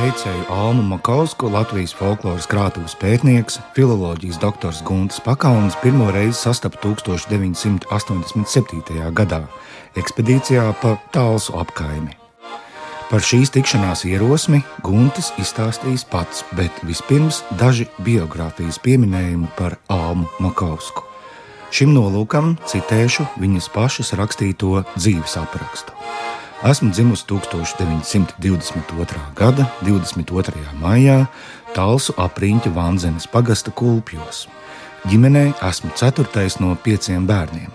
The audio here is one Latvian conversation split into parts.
teicēju Almu Makausku, Latvijas folkloras krātuves pētnieks, filoloģijas doktors Guntis Pakauns pirmo reizi sastapa 1987. gadā ekspedīcijā pa Talsu apkaimi. Par šīs tikšanās ierosmi Guntis izstāstījis pats, bet vispirms daži biogrāfijas pieminējumi par Almu Makausku. Šim nolūkam citēšu viņas pašas rakstīto dzīves aprakstu. Esmu dzimusi 1922. gada 22. maijā Talsu apriņķa Vanzenes pagasta Kulpjos. Ģimenē esmu 4. no 5 bērniem.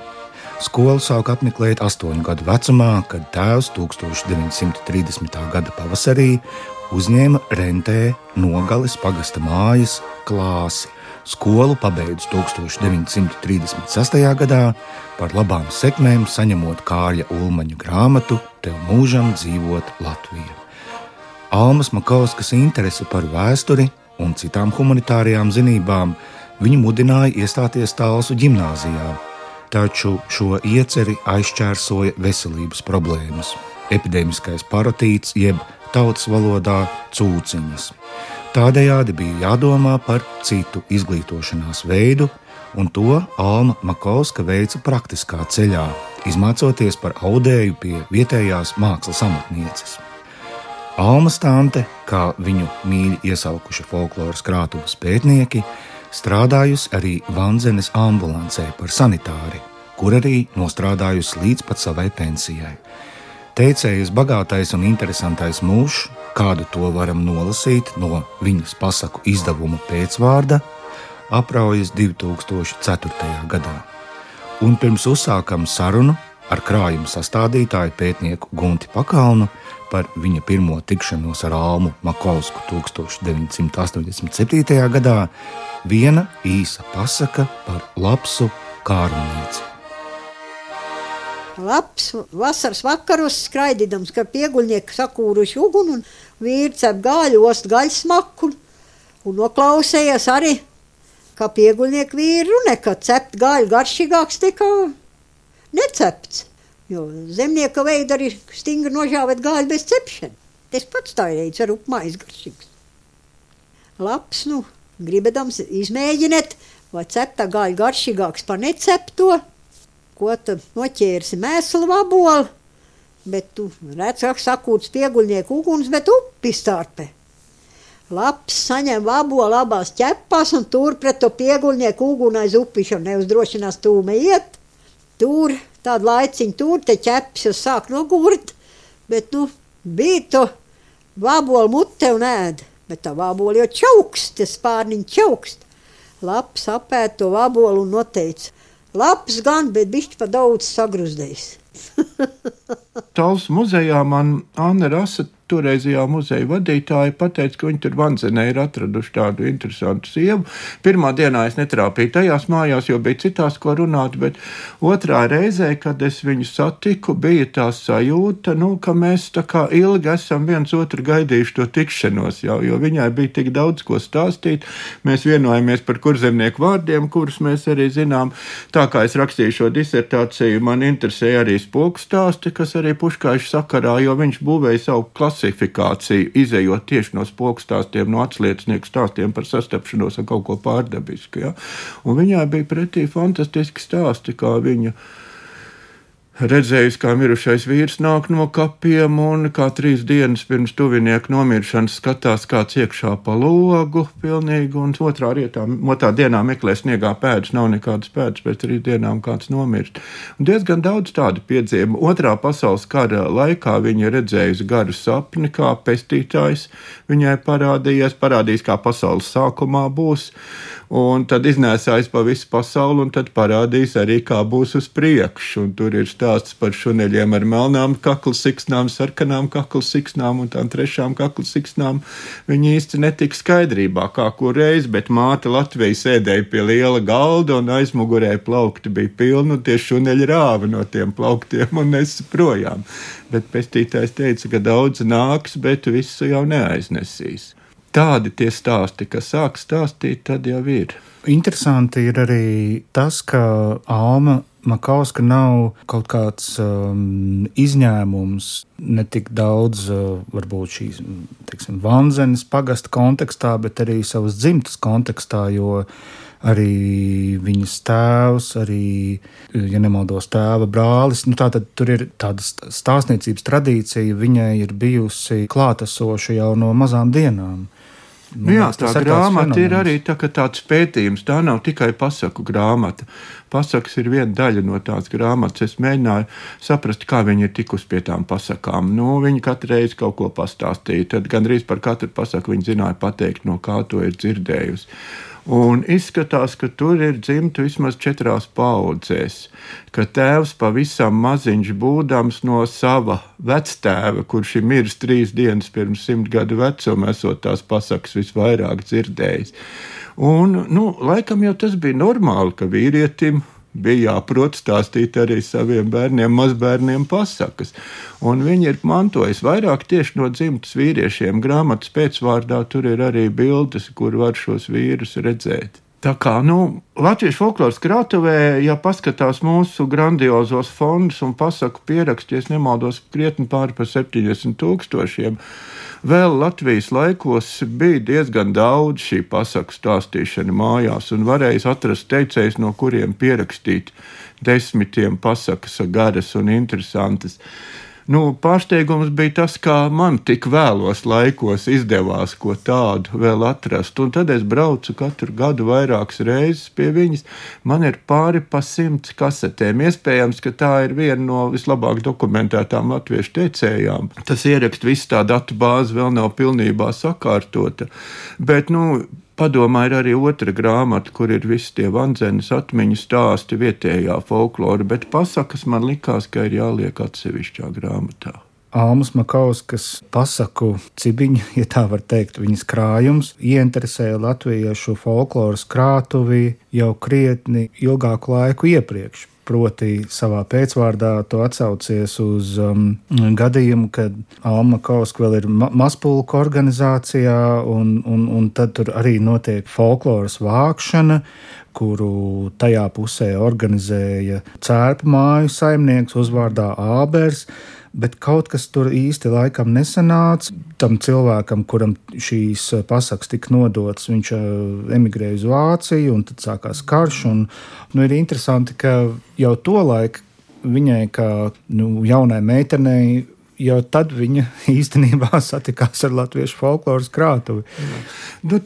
Skolu sāku apmeklēt 8 gadu vecumā, kad tēvs 1930. gada pavasarī uzņēma rentē Nogales pagasta mājas klāsi. Skolu pabeidzu 1936. gadā, par labām sekmēm saņemot Kārļa Ulmaņa grāmatu Tev mūžam dzīvot Latvija. Almas Makauskas interese par vēsturi un citām humanitārajām zinībām viņu mudināja iestāties Talsu ģimnāzijā, taču šo ieceri aizšķērsoja veselības problēmas, epidēmiskais parotīts jeb tautas valodā cūciņas. Tādējādi bija jādomā par citu izglītošanās veidu, un to Alma Makauska veica praktiskā ceļā, izmācoties par audēju pie vietējās mākslas amatnieces. Almas tante, kā viņu mīļi iesaukuši folkloras krātuves pētnieki, strādājusi arī Vanzenes ambulancē par sanitāri, kur arī nostrādājusi līdz pat savai pensijai. Teicējas bagātais un interesantais mūžs, kādu to varam nolasīt no viņas pasaku izdevuma pēcvārda, apraujas 2004. gadā. Un pirms uzsākam sarunu ar krājuma sastādītāju pētnieku Gunti Pakaunu par viņa pirmo tikšanos ar Almu Makausku 1987. gadā, viena īsa pasaka par Lapsu kārumnieci. Labs vasaras vakaros skraidīdams, ka pieguļnieki sakūruši uguni un vīri cep gaļu, ost gaļas smaku un noklausējies arī, ka pieguļnieki vīri runē, ka cept gaļu garšīgāks nekā necepts, jo zemnieka veida arī stingri nožāvēt gaļu bez cepšana. Tas pats tā reiz ar upmājas garšīgs. Labs, gribedams izmēģināt, vai ceptā gaļu garšīgāks par necepto, ko tu noķērsi mēslu vabolu, bet tu redz, kā sakūts pieguļnieku uguns, bet upi starpē. Labs saņem vabolu abās ķepās un tur pret to pieguļnieku uguni aiz upišanu neuzdrošinās tūme iet. Tur, tādu laiciņu tur, te ķeps jau sāk nogurt, bet bija to vabolu mute un ēd, bet tā vaboli jau čaukst, tie spārniņi čaukst. Labs apēd to vabolu un noteica. Labs gan, bet bišķi pa daudz sagruzdējis. Talsu muzejā man Anna Rasa, toreizajā muzeja vadītāja, pateica, ka viņi tur Vanzenē ir atraduši tādu interesantu sievu. Pirmā dienā es netrāpīju tajās mājās, jo bija citās, ko runāt, bet otrā reizē, kad es viņu satiku, bija tā sajūta, ka mēs tā kā ilgi esam viens otru gaidījuši to tikšanos, jo viņai bija tik daudz ko stāstīt. Mēs vienojamies par kurzemnieku vārdiem, kurus mēs arī zinām. Tā kā es rakstīju šo disertāciju, man interesēja arī spoku stāsti, kas arī Puškaiša sakarā, jo viņš būvēja savu klasifikāciju, izejot tieši no spoku stāstiem, no atsliecnieku stāstiem par sastapšanos ar kaut ko pārdabisku. Ja? Un viņai bija pretī fantastiski stāsti, kā viņa redzējusi, kā mirušais vīrs nāk no kapiem un kā 3 dienas pirms tuvinieku nomiršanas skatās kāds iekšā pa logu pilnīgi un otrā dienā meklē sniegā pēdas, nav nekādas pēdas, pēc 3 dienām kāds nomirst. Un diezgan daudz tādu piedzīvumu. Otrā pasaules kara laikā viņa redzējusi garu sapni, kā pestītājs viņai parādījās, kā pasaules sākumā būs, un tad iznēsājis pa visu pasauli un tad parādījis arī, kā būs uz priekšu. Un tur ir stāsts par šuneļiem ar melnām kakla siksnām, sarkanām kakla siksnām un tām 3 kakla siksnām. Viņi īsti netika skaidrībā, kā kur reiz, bet māte Latvija sēdēja pie liela galda un aizmugurē plaukti bija pilni un tie šuneļi rāva no tiem plauktiem un nesa projām. Bet pestītājs teica, ka daudz nāks, bet visu jau neaiznesīs. Tādi tie stāsti, kas sāk stāstīt, tad jau ir. Interesanti ir arī tas, ka Alma Makauska nav kaut kāds izņēmums, ne tik daudz varbūt šīs, teiksim, Vanzenes pagasta kontekstā, bet arī savas dzimtas kontekstā, jo arī viņas tēvs, arī, ja nemaldos, tēva brālis, tātad tur ir tāda stāstniecības tradīcija, viņai ir bijusi klātesoša jau no mazām dienām. Jā, tā grāmata ir arī tāds pētījums. Tā nav tikai pasaku grāmata. Pasakas ir viena daļa no tās grāmatas. Es mēģināju saprast, kā viņi ir tikusi pie tām pasakām. Viņi katru reizi kaut ko pastāstīja. Tad gandrīz par katru pasaku viņi zināja pateikt, no kā to ir dzirdējusi. Un izskatās, ka tur ir dzimta vismaz 4 paudzēs, ka tēvs pavisam maziņš būdams no sava vectēva, kurš ir miris 3 dienas pirms 100 gadu vecuma, esot tās pasakas visvairāk dzirdējis. Un, laikam jau tas bija normāli, ka vīrietim bija jāprot stāstīt arī saviem bērniem, mazbērniem pasakas. Un viņi ir mantojuši vairāk tieši no dzimtas vīriešiem. Grāmatas pēcvārdā tur ir arī bildes, kur var šos vīrus redzēt. Tā kā, Latviešu folkloras krātuvē, ja paskatās mūsu grandiozos fondus un pasaku pierakstu, ja nemaldos, krietni pāri par 70,000, vēl Latvijas laikos bija diezgan daudz šī pasaku stāstīšana mājās un varēja atrast teicējus, no kuriem pierakstīt 10 pasakas garas un interesantas. Pārsteigums bija tas, kā man tik vēlos laikos izdevās ko tādu vēl atrast. Un tad es braucu katru gadu vairākas reizes pie viņas. Man ir pāri pa 100 kasetēm. Iespējams, ka tā ir viena no vislabāk dokumentētām latviešu teicējām. Tas ierakst visu tā datu bāzi vēl nav pilnībā sakārtota. Bet, padomā ir arī otra grāmata, kur ir visi tie Vanzenes atmiņu stāsti vietējā folklora, bet pasakas man likās, ka ir jāliek atsevišķā grāmatā. Almas Makauskas pasaku cibiņa, ja tā var teikt, viņas krājums, ieinteresēja latviešu folkloras krātuvi jau krietni ilgāku laiku iepriekš. Proti savā pēcvārdā to atsaucies uz gadījumu, kad Alma Makauska vēl ir mazpulku organizācijā, un tad tur arī notiek folkloras vākšana, kuru tajā pusē organizēja cērpu māju saimnieks uzvārdā Ābers, bet kaut kas tur īsti laikam nesanāca. Tam cilvēkam, kuram šīs pasakas tika nodotas, viņš emigrēja uz Vāciju, un tad sākās karš. Ir interesanti, ka jau tolaik viņai, kā jaunai meitenei, jau tad viņa īstenībā satikās ar latviešu folkloras krātuvi.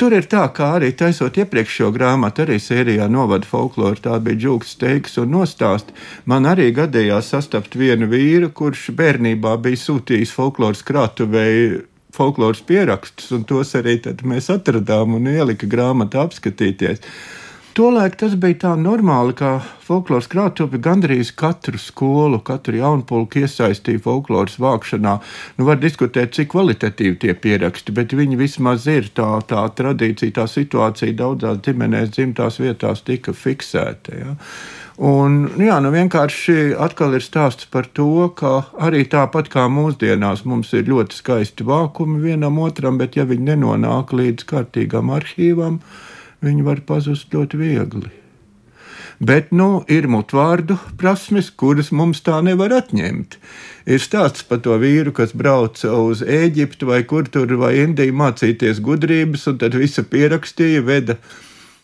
Tur ir tā, kā arī taisot iepriekšējo grāmatu, arī sērijā Novada folklora, tā bija Džūks Steigs un nostāsti. Man arī gadījās sastapt vienu vīru, kurš bērnībā bija sūtījis folkloras krātuvei folkloras pierakstus, un tos arī tad mēs atradām un ielika grāmatā apskatīties. Tolaik tas bija tā normāli, ka folkloras krātuve gandrīz katru skolu, katru jaunpulku iesaistīja folkloras vākšanā. Var diskutēt, cik kvalitatīvi tie pieraksti, bet viņi vismaz ir tā tradīcija, tā situācija daudzās ģimenēs dzimtās vietās tika fiksēta. Ja? Un, vienkārši atkal ir stāsts par to, ka arī tāpat kā mūsdienās mums ir ļoti skaisti vākumi vienam otram, bet ja viņi nenonāk līdz kārtīgam arhīvam, viņi var pazust ļoti viegli. Bet, ir mutvārdu prasmes, kuras mums tā nevar atņemt. Ir stāsts par to vīru, kas brauca uz Ēģiptu vai kur tur vai Indiju mācīties gudrības, un tad visu pierakstīja, veda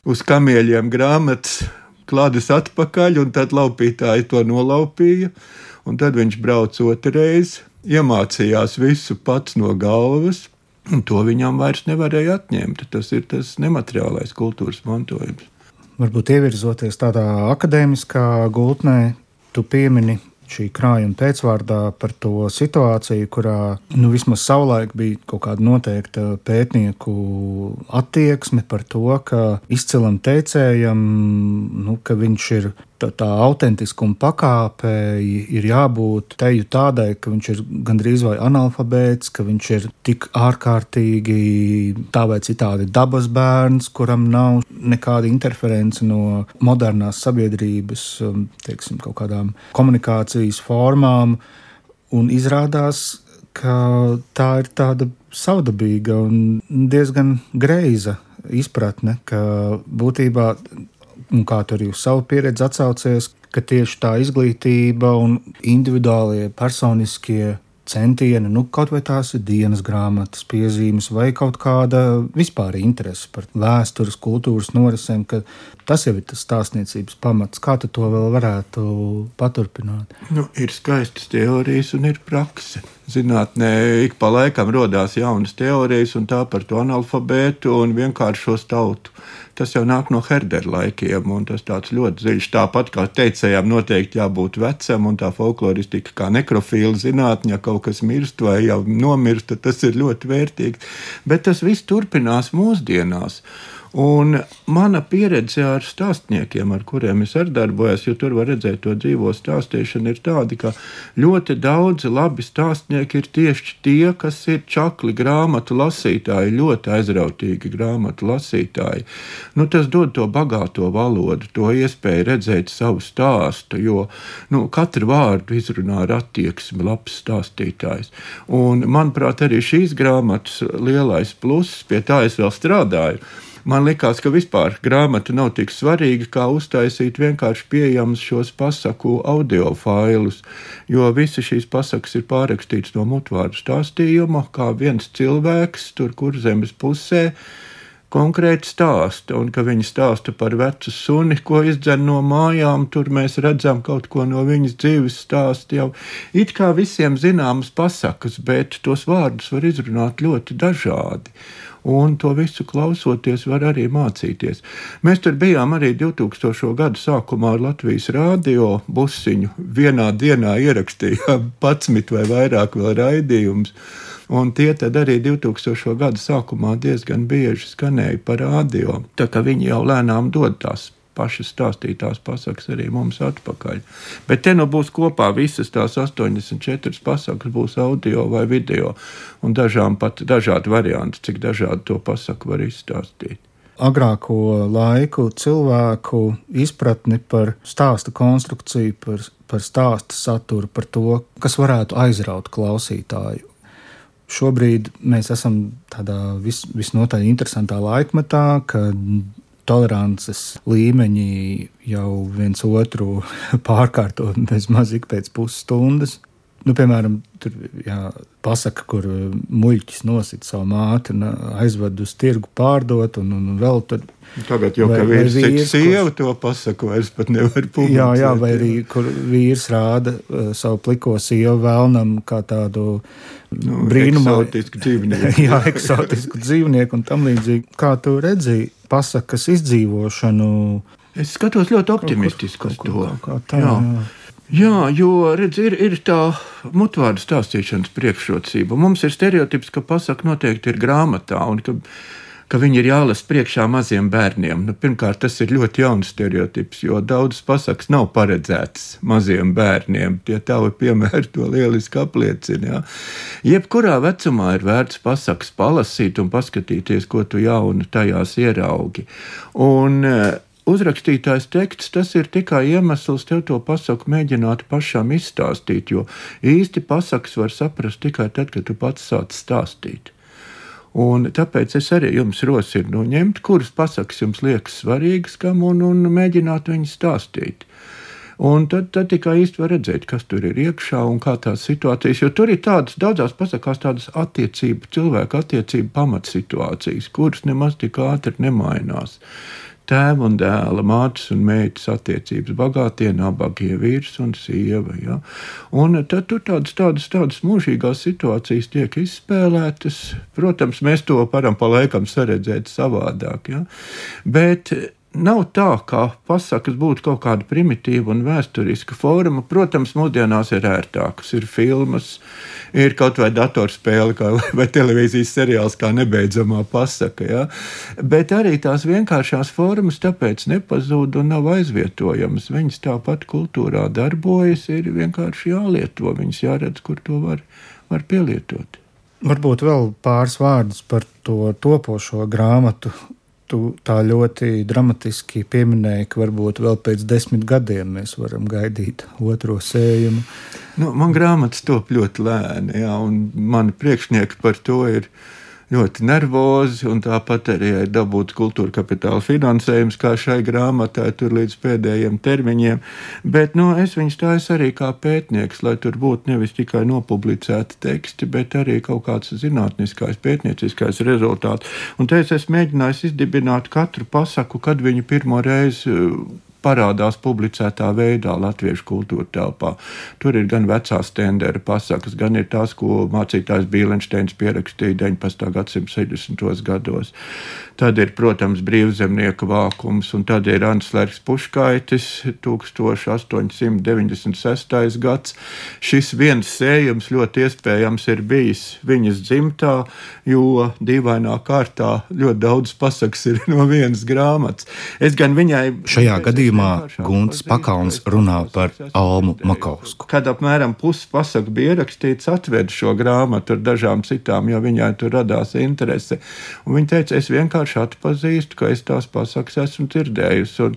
uz kamieļiem grāmatas, klādes atpakaļ, un tad laupītāji to nolaupīja, un tad viņš brauca otrreiz, iemācījās visu pats no galvas, un to viņam vairs nevarēja atņemt. Tas ir tas nemateriālais kultūras mantojums. Varbūt ievirzoties tādā akadēmiskā gultnē, tu piemini šī krājuma pēcvārdā par to situāciju, kurā vismaz savulaik bija kaut kāda noteikta pētnieku attieksme par to, ka izcilam teicējam, ka viņš ir tā autentiskuma pakāpe ir jābūt teju tādai, ka viņš ir gandrīz vai analfabēts, ka viņš ir tik ārkārtīgi tā vai citādi dabas bērns, kuram nav nekāda interference no modernās sabiedrības, teiksim, kaut kādām komunikācijas formām, un izrādās, ka tā ir tāda savdabīga un diezgan greiza izpratne, ka būtībā, un kā tu arī uz savu pieredzi atsaucies, ka tieši tā izglītība un individuālie personiskie centieni, kaut vai tās ir dienas grāmatas, piezīmes vai kaut kāda vispār interese par vēstures, kultūras norisēm, ka tas jau ir tas stāstniecības pamats. Kā tu to vēl varētu paturpināt? Ir skaistas teorijas un ir prakse. Zinātnē ik pa laikam rodās jaunas teorijas un tā par to analfabētu un vienkāršos tautu. Tas jau nāk no Herdera laikiem, un tas tāds ļoti dziļš. Tāpat kā teicējām, noteikti jābūt vecam, un tā folkloristika kā nekrofīla zinātņa, ja kaut kas mirst vai jau nomirst, tad tas ir ļoti vērtīgs. Bet tas viss turpinās mūsdienās. Un mana pieredze ar stāstniekiem, ar kuriem es arī darbojos, jo tur var redzēt to dzīvo stāstīšanu, ir tāda, ka ļoti daudzi labi stāstnieki ir tieši tie, kas ir čakli grāmatu lasītāji, ļoti aizrautīgi grāmatu lasītāji. Tas dod to bagāto valodu, to iespēju redzēt savu stāstu, jo katru vārdu izrunā ar attieksmi labs stāstītājs. Un, manuprāt, arī šīs grāmatas lielais pluss, pie tā es vēl strādāju. Man likās, ka vispār grāmata nav tik svarīga, kā uztaisīt vienkārši pieejamus šos pasaku audio failus, jo visi šīs pasakas ir pārrakstīts no mutvārdu stāstījuma, kā viens cilvēks tur Kurzemes pusē konkrēti stāsta, un ka viņi stāsta par vecu suni, ko izdzen no mājām, tur mēs redzam kaut ko no viņas dzīves stāsta jau. It kā visiem zināmas pasakas, bet tos vārdus var izrunāt ļoti dažādi. Un to visu klausoties var arī mācīties. Mēs tur bijām arī 2000. gadu sākumā ar Latvijas rādio busiņu. Vienā dienā ierakstījām 11 vai vairāk vēl raidījumus. Un tie tad arī 2000. gadu sākumā diezgan bieži skanēja pa rādio. Tā kā viņi jau lēnām dod tās pašas stāstītās pasakas arī mums atpakaļ. Bet te būs kopā visas tās 84 pasakas, būs audio vai video, un dažām pat dažādi varianti, cik dažādi to pasaku var izstāstīt. Agrāko laiku cilvēku izpratni par stāsta konstrukciju, par stāsta saturu, par to, kas varētu aizraut klausītāju. Šobrīd mēs esam tādā visnotaļ interesantā laikmetā, kad tolerances līmeņi jau viens otru pārkārto bezmaz ik pēc pusstundas. Piemēram, tur pasaka, kur muļķis nosit savu māti un aizved uz tirgu pārdot, un vēl tur. Tagad jau, ka vīrs cik sieva to pasaku, vairs pat nevar publicēt. Jā, vai arī, kur vīrs rāda savu pliko sievu vēlnam kā tādu brīnumā. Eksotisku dzīvnieku. Jā, eksotisku dzīvnieku un tam līdzīgi. Kā tu redzi pasakas izdzīvošanu? Es skatos ļoti optimistiski uz to. Jā. Jā, jo, redz, ir tā mutvārdu stāstīšanas priekšrocība. Mums ir stereotips, ka pasaka noteikti ir grāmatā un ka viņi ir jālasa priekšā maziem bērniem. Pirmkārt, tas ir ļoti jauns stereotips, jo daudzas pasakas nav paredzētas maziem bērniem. Tie tavi piemēri to lieliski apliecina. Jā. Jebkurā vecumā ir vērts pasakas palasīt un paskatīties, ko tu jaunu tajās ieraugi. Un uzrakstītājs teksts, tas ir tikai iemesls tev to pasaku mēģināt pašam izstāstīt, jo īsti pasakas var saprast tikai tad, kad tu pats sāc stāstīt. Un tāpēc es arī jums rosinu ņemt, kuras pasakas jums liekas svarīgas kam un mēģināt viņas stāstīt. Un tad tikai īsti var redzēt, kas tur ir iekšā un kā tās situācijas, jo tur ir tādas daudzās pasakās tādas cilvēku attiecību pamatsituācijas, kuras nemaz tik ātri nemainās. Tēva un dēla, mātes un meitas attiecības, bagātie, nabagie, vīrs un sieva. Ja? Un tad tur tādas mūžīgās situācijas tiek izspēlētas. Protams, mēs to varam pa laikam saredzēt savādāk. Ja? Bet nav tā, ka pasakas būtu kaut kāda primitīva un vēsturiska forma. Protams, mūsdienās ir ērtākas, ir filmas, ir kaut vai datorspēle vai televīzijas seriāls kā nebeidzamā pasaka. Ja? Bet arī tās vienkāršās formas tāpēc nepazūd un nav aizvietojamas. Viņas tāpat kultūrā darbojas, ir vienkārši jālieto. Viņas jāredz, kur to var pielietot. Varbūt vēl pāris vārdus par to topošo grāmatu. Tu tā ļoti dramatiski pieminēji, ka varbūt vēl pēc 10 gadiem mēs varam gaidīt otro sējumu. Man grāmatas top ļoti lēni, jā, un mani priekšnieki par to ir ļoti nervozi, un tāpat arī dabūt kultūra kapitāla finansējums, kā šai grāmatai, tur līdz pēdējiem termiņiem. Bet, es viņus taisu arī kā pētnieks, lai tur būtu nevis tikai nopublicēti teksti, bet arī kaut kāds zinātniskais, pētnieciskais rezultāts. Un te es mēģināju izdibināt katru pasaku, kad viņi pirmo reizi parādās publicētā veidā latviešu kultūra telpā. Tur ir gan vecās Stendera pasakas, gan ir tās, ko mācītājs Bīlenšteins pierakstīja 19. gadsimta 60. gados. Tad ir, protams, brīvzemnieka vākums, un tad ir Anslers Puškaitis, 1896. gads. Šis viens sējums ļoti iespējams ir bijis viņas dzimtā, jo dīvainā kārtā ļoti daudz pasakas ir no vienas grāmatas. Es gan viņai... Šajā gadījumā Gunts Pakalns runā par Almu Makausku. Kad apmēram pusi pasaku bija ierakstīts, atveda šo grāmatu ar dažām citām, jo viņai tur radās interese. Un viņa teica, es vienkārši atpazīstu, ka es tās pasakas esmu dzirdējusi.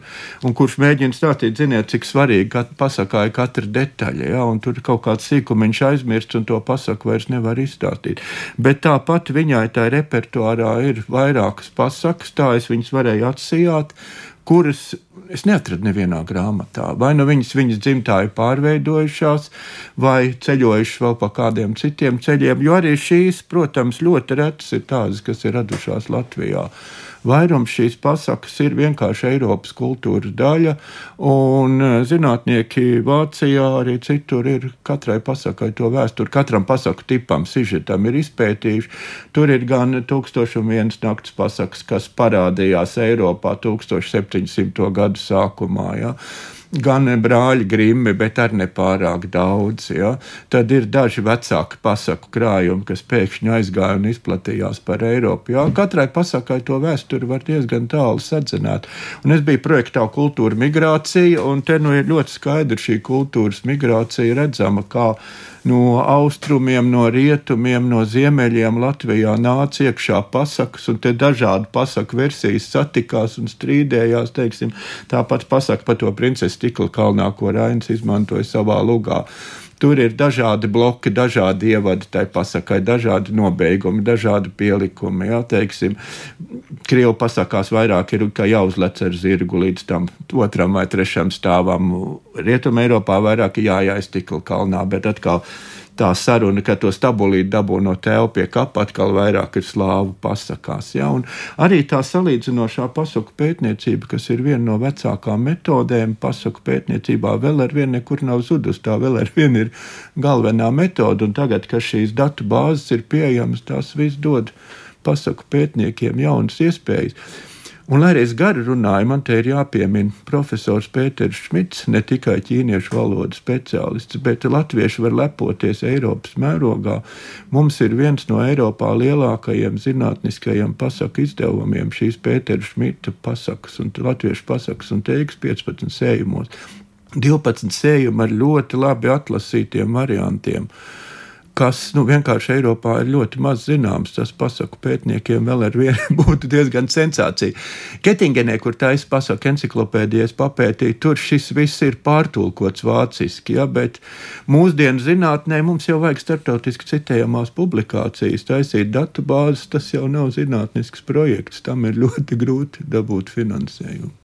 Un kurš mēģina stāstīt, ziniet, cik svarīgi pasakā ir katra detaļa, ja? Un tur kaut kāds sīkumiņš aizmirsts, un to pasaku vairs nevar izstāstīt. Bet tāpat viņai tā repertuārā ir vairākas pasakas, tā es viņas varēju atsijāt, kuras es neatradu nevienā grāmatā. Vai viņas dzimtā ir pārveidojušās, vai ceļojušas vēl pa kādiem citiem ceļiem, jo arī šīs, protams, ļoti retas ir tādas, kas ir radušās Latvijā. Vairums šīs pasakas ir vienkārši Eiropas kultūras daļa, un zinātnieki Vācijā arī citur ir katrai pasakai to vēsturi, katram pasaku tipam, sižetam ir izpētījuši. Tur ir gan 1001 nakts pasakas, kas parādījās Eiropā 1700. gadu sākumā, ja? Gan brāļi Grimmi, bet arī nepārāk daudz. Ja? Tad ir daži vecāki pasaku krājumi, kas pēkšņi aizgāja un izplatījās par Eiropu. Ja? Katrai pasakai to vēsturi var diezgan tālu sadzināt. Un es biju projektā Kultūra migrācija, un te ir ļoti skaidri šī kultūras migrācija redzama, kā no austrumiem, no rietumiem, no ziemeļiem Latvijā nāca iekšā pasakas, un te dažādi pasaku versijas satikās un strīdējās, teiksim, tāpat pasaka par to princesi Stikla kalnā, ko Rainis izmantoja savā lugā. Tur ir dažādi bloki, dažādi ievadi tai pasakai, dažādi nobeigumi, dažādi pielikumi. Jā, teiksim, Krievu pasakās vairāk ir, ka jāuzlec ar zirgu līdz tam 2. vai 3. stāvam. Rietuma Eiropā vairāk jāies Stikla kalnā, bet atkal tā saruna, ka to stabulīti dabū no tēva pie kapa, atkal vairāk ir slāvu pasakās. Ja? Un arī tā salīdzinošā pasaku pētniecība, kas ir viena no vecākām metodēm pasaku pētniecībā, vēl ar vienu nekur nav zudus, tā vēl ar vienu ir galvenā metode, un tagad, kad šīs datu bāzes ir pieejamas, tās viss dod pasaku pētniekiem jaunas iespējas. Un, lai arī es gari runāju, man te ir jāpiemina profesors Pēters Šmits, ne tikai ķīniešu valodas speciālists, bet latvieši var lepoties Eiropas mērogā. Mums ir viens no Eiropā lielākajiem zinātniskajiem pasaku izdevumiem šīs Pētera Šmita pasakas un latviešu pasakas un teiks 15 sējumos. 12 sējumi ar ļoti labi atlasītiem variantiem, kas vienkārši Eiropā ir ļoti maz zināms. Tas pasaku pētniekiem vēl ar vienu būtu diezgan sensācija. Kettingenē, kur taisa pasaku enciklopēdijas papētīja, tur šis viss ir pārtulkots vāciski, ja, bet mūsdienu zinātnē mums jau vajag starptautiski citējamās publikācijas, taisīt datu bāzes, tas jau nav zinātnisks projekts, tam ir ļoti grūti dabūt finansējumu.